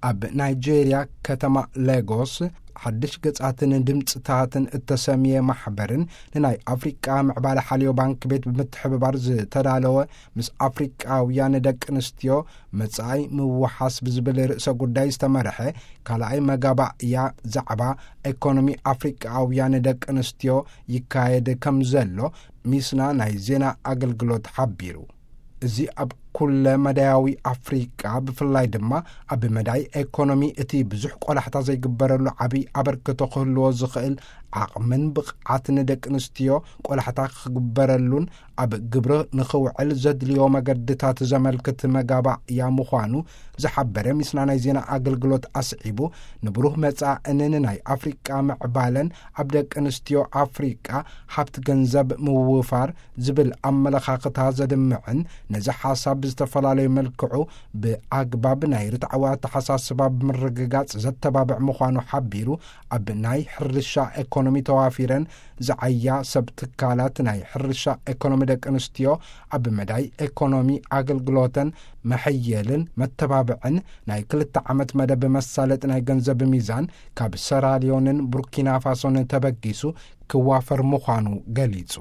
ኣብ ናይጄርያ ከተማ ሌጎስ ሓድሽ ገጻትን ድምጽታትን እተሰምየ ማሕበርን ንናይ ኣፍሪቃ ምዕባለ ሓልዮ ባንክ ቤት ብምትሕብባር ዝተዳለወ ምስ ኣፍሪቃውያን ደቂ ኣንስትዮ መጻኢ ምውሓስ ብዝብል ርእሰ ጉዳይ ዝተመርሐ ካልኣይ መጋባእያ ዛዕባ ኤኮኖሚ ኣፍሪቃውያን ደቂ ኣንስትዮ ይካየድ ከም ዘሎ ሚስና ናይ ዜና ኣገልግሎት ሓቢሩ። እዚ ኣብ ኩለ መዳያዊ ኣፍሪቃ ብፍላይ ድማ ኣብ መዳይ ኤኮኖሚ እቲ ብዙሕ ቆላሕታ ዘይግበረሉ ዓብይ ኣበርክቶ ክህልዎ ዝኽእል ዓቕምን ብቕዓትን ደቂ ኣንስትዮ ቆላሕታ ክግበረሉን ኣብ ግብሪ ንኽውዕል ዘድልዮ መገድታት ዘመልክት መጋባእያ ምዃኑ ዝሓበረ ሚስና ናይ ዜና ኣገልግሎት ኣስዒቡ፣ ንብሩህ መጻእን ናይ ኣፍሪቃ ምዕባለን ኣብ ደቂ ኣንስትዮ ኣፍሪቃ ሃብቲ ገንዘብ ምውፋር ዝብል ኣመለኻኽታ ዘድምዕን ነዚ ሓሳብ ብዝተፈላለዩ መልክዑ ብኣግባብ ናይ ርትዓዊ ኣተሓሳስባ ብምርግጋጽ ዘተባብዕ ምዃኑ ሓቢሩ፣ ኣብ ናይ ሕርሻ ኤኮኖሚ ተዋፊረን ዝዓያ ሰብ ትካላት ናይ ሕርሻ ኤኮኖሚ ደቂ ኣንስትዮ ኣብ መዳይ ኤኮኖሚ ኣገልግሎተን መሐየልን መተባብዕን ናይ ክልተ ዓመት መደብ መሳለጥ ናይ ገንዘብ ሚዛን ካብ ሰራልዮንን ቡርኪና ፋሶን ተበጊሱ ክዋፈር ምዃኑ ገሊጹ።